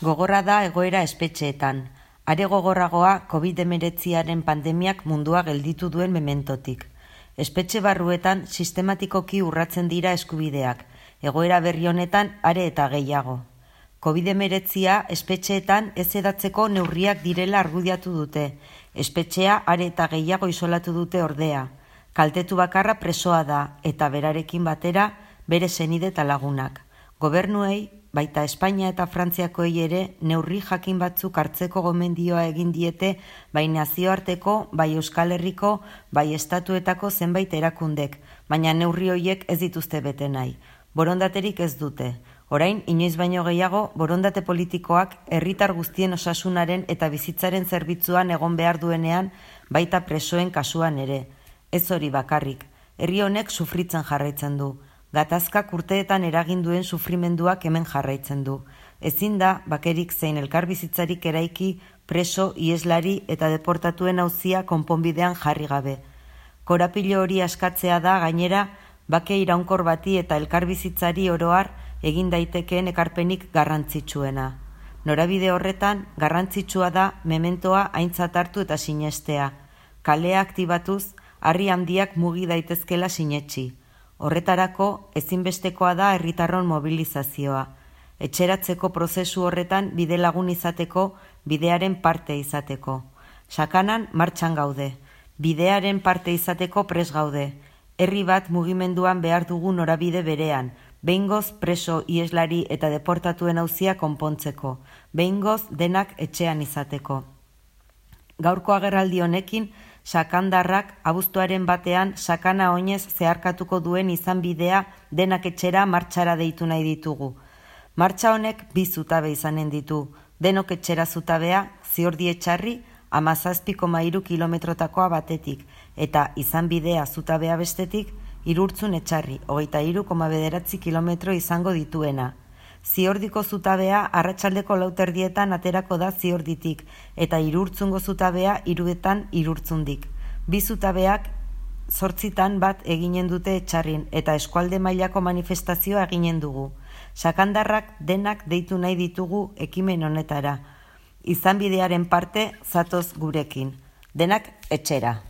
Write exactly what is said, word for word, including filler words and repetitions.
Gogorra da egoera espetxeetan. Are gogorragoa covid hemeretziaren pandemiak mundua gelditu duen mementotik. Espetxe barruetan sistematikoki urratzen dira eskubideak, egoera berri honetan are eta gehiago. covid hemeretzia espetxeetan ez edatzeko neurriak direla argudiatu dute. Espetxea are eta gehiago isolatu dute ordea. Kaltetu bakarra presoa da eta berarekin batera bere senide eta lagunak. Gobernuei, baita Espainia eta Frantziakoei ere neurri jakin batzuk hartzeko gomendioa egin diete bai nazioarteko, bai Euskal Herriko, bai estatuetako zenbait erakundek, baina neurri horiek ez dituzte bete nahi. Borondaterik ez dute. Orain, inoiz baino gehiago, borondate politikoak herritar guztien osasunaren eta bizitzaren zerbitzuan egon behar duenean, baita presoen kasuan ere. Ez hori bakarrik. Herri honek sufritzen jarraitzen du. Gatazkak urteetan eragin duen sufrimenduak hemen jarraitzen du. Ezin da, bakerik zein elkarbizitzarik eraiki, preso, ieslari eta deportatuen auzia konponbidean jarri gabe. Korapilo hori askatzea da, gainera, bake iraunkor bati eta elkarbizitzari oroar egin daitekeen ekarpenik garrantzitsuena. Norabide horretan, garrantzitsua da mementoa aintzat hartu eta sinestea. Kalea aktibatuz, harri handiak mugi daitezkela sinetsi. Horretarako, ezinbestekoa da herritarron mobilizazioa. Etxeratzeko prozesu horretan bide lagun izateko, bidearen parte izateko. Sakanan martxan gaude. Bidearen parte izateko pres gaude. Herri bat mugimenduan behar dugu norabide berean, behingoz preso, ieslari eta deportatuen auzia konpontzeko, behingoz denak etxean izateko. Gaurko agerraldi honekin, sakandarrak abuztuaren batean sakana oinez zeharkatuko duen izan bidea denak etxera martxara deitu nahi ditugu. Martxa honek bi zutabe izanen ditu, denok etxera zutabea, Ziordi Etxarri, hamazazpi koma hiru kilometrotakoa batetik, eta izan bidea zutabea bestetik, Irurtzun Etxarri, hogeita hiru koma bederatzi kilometro izango dituena. Ziordiko zutabea arratsaldeko lauterdietan aterako da Ziorditik, eta Irurtzungo zutabea hiruetan Irurtzundik. Bi zutabeak zortzitan bat eginen dute Etxarrin, eta eskualde mailako manifestazioa eginen dugu. Sakandarrak denak deitu nahi ditugu ekimen honetara. Izan bidearen parte zatoz gurekin. Denak etxera.